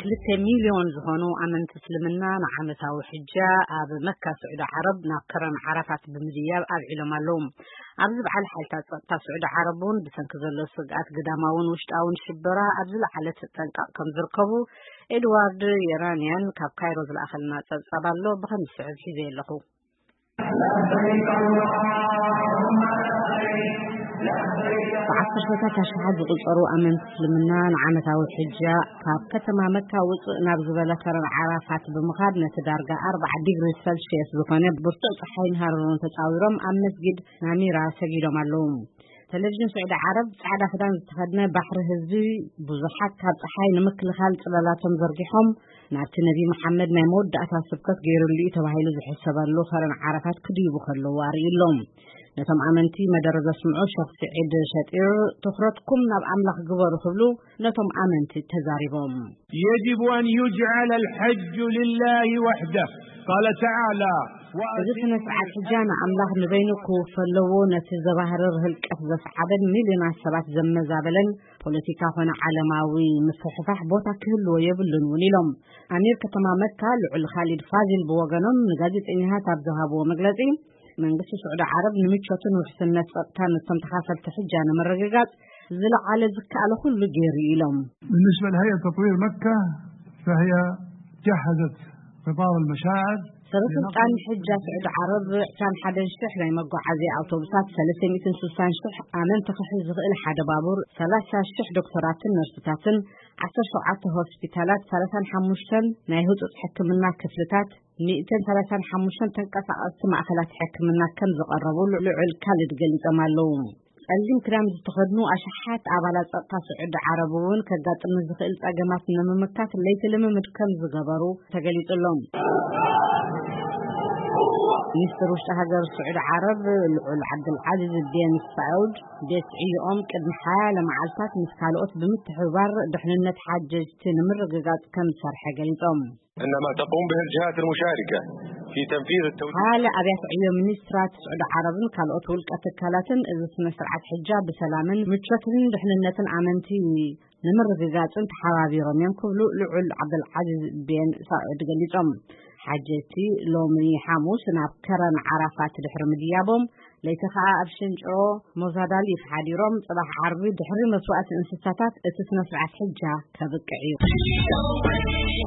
ክልተ ሚልዮን ዝኾኑ ኣመንቲ እስልምና ንዓመታዊ ሕጃ ኣብ መካ ስዑዲ ዓረብ ናብ ከረን ዓራፋት ብምድያብ ኣብዒሎም ኣለዉ። ኣብዚ በዓል ሓይልታት ጸጥታ ስዑዲ ዓረብ እውን ብሰንኪ ዘሎ ስግኣት ግዳማውን ውሽጣውን ሽበራ ኣብ ዝለዓለ ተጠንቀቕ ከም ዝርከቡ ኤድዋርድ የራንያን ካብ ካይሮ ዝለኣኸልና ጸብጻብ ኣሎ። ብኸም ዝስዕብ ሒዘ ኣለኹ። ብዓሰርተታት ኣሽሓት ዝቑጸሩ ኣመንቲ እስልምና ንዓመታዊ ሕጃ ካብ ከተማ መካ ውጽእ ናብ ዝበለ ከረን ዓራፋት ብምኻድ ነቲ ዳርጋ ኣርባዓ ዲግሪ ሰልሽየስ ዝኾነ ብርቱዕ ጸሓይን ሃረሮን ተጻዊሮም ኣብ መስጊድ ናሚራ ሰጊዶም ኣለዉ። ቴሌቪዥን ስዑዲ ዓረብ ጻዕዳ ክዳን ዝተኸድነ ባሕሪ ህዝቢ ብዙሓት ካብ ጸሓይ ንምክልኻል ጽላላቶም ዘርጊሖም ናብቲ ነቢ መሓመድ ናይ መወዳእታ ስብከት ገይሩሉ እዩ ተባሂሉ ዝሕሰበሉ ከረን ዓራፋት ክድይቡ ከለዉ ኣርእዩ ኣሎ። ነቶም ኣመንቲ መደረ ዘስምዑ ሸኽ ስዒድ ሸጢር ትኹረትኩም ናብ ኣምላኽ ግበሩ ክብሉ ነቶም ኣመንቲ ተዛሪቦም። يجب أن يجعل الحج لله وحده. قال تعالى: እዚ ስነ ስርዓት ሕጃ ንኣምላኽ ንበይኑ ክውፈ ኣለዎ። ነቲ ዘባህርር ህልቀት ዘስዓበ ሚልዮናት ሰባት ዘመዛበለን ፖለቲካ ኮነ ዓለማዊ ምፍሕፋሕ ቦታ ክህልዎ የብሉን እውን ኢሎም። ኣሚር ከተማ መካ ልዑል ካሊድ ፋዚል ብወገኖም ንጋዜጠኛታት ኣብ ዝሃብዎ መግለጺ መንግስቲ ስዑዲ ዓረብ ንምቾትን ውሕስነት ጸጥታን እቶም ተኻፈልቲ ሕጃ ንምርግጋጽ ዝለዓለ ዝከኣለ ኩሉ ገይሩ ኢሎም። بالنسبة لهيئة تطوير مكة فهي جهزت قطار المشاعر. ሰበ ስልጣን ሕጃ ስዑዲ ዓረብ ዕስራን ሓደን ሽሕ ናይ መጓዓዝያ ኣውቶቡሳት፣ ሰለስተ ሚእትን ስሳን ሽሕ ኣመንቲ ክሕዝ ዝኽእል ሓደ ባቡር፣ ሰላሳ ሽሕ ዶክተራትን ነርስታትን፣ ዓሰርተ ሸውዓተ ሆስፒታላት፣ ሰላሳን ሓሙሽተን ናይ ህጹጽ ሕክምና ክፍልታት፣ ሚእትን ሰላሳን ሓሙሽተን ተንቀሳቐስቲ ማእከላት ሕክምና ከም ዝቐረቡ ልዑል ካልድ ገሊጾም ኣለዉ። ጸሊም ክዳን ዝተኸድኑ ኣሽሓት ኣባላት ጸጥታ ስዑዲ ዓረብ እውን ከጋጥም ንዝኽእል ጸገማት ንምምካት ለይቲ ልምምድ ከም ዝገበሩ ተገሊጹ ኣሎ። ሚኒስትር ውሽጢ ሃገር ስዑዲ ዓረብ ልዑል ዓብዱልዓዚዝ ቤን ሳዑድ ቤት ዕዮኦም ቅድሚ ሓያለ መዓልታት ምስ ካልኦት ብምትሕብባር ድሕንነት ሓጀጅቲ ንምርግጋጽ ከም ዝሰርሐ ገሊጾም። إنما تقوم به الجهات المشاركة في تنفيذ التوجيهات. ሓያለ ኣብያተ ዕዮ ሚኒስትራት ስዑዲ ዓረብን ካልኦት ውልቀ ትካላትን እዚ ስነ ስርዓት ሕጃ ብሰላምን ምቾትን ድሕንነትን ኣመንቲ ንምርግጋጽን ተሓባቢሮም እዮም ክብሉ ልዑል ዓብደልዓዚዝ ቤን ሳዑድ ገሊጾም። ሓጀቲ ሎሚ ሓሙስ ናብ ከረን ዓራፋት ድሕሪ ምድያቦም ለይቲ ኸኣ ኣብ ሽንጭሮ ሞዛዳሊፍ ሓዲሮም ጽባሕ ዓርቢ ድሕሪ መስዋእቲ እንስሳታት እቲ ስነ ስርዓት ሕጃ ከብቅዕ እዩ።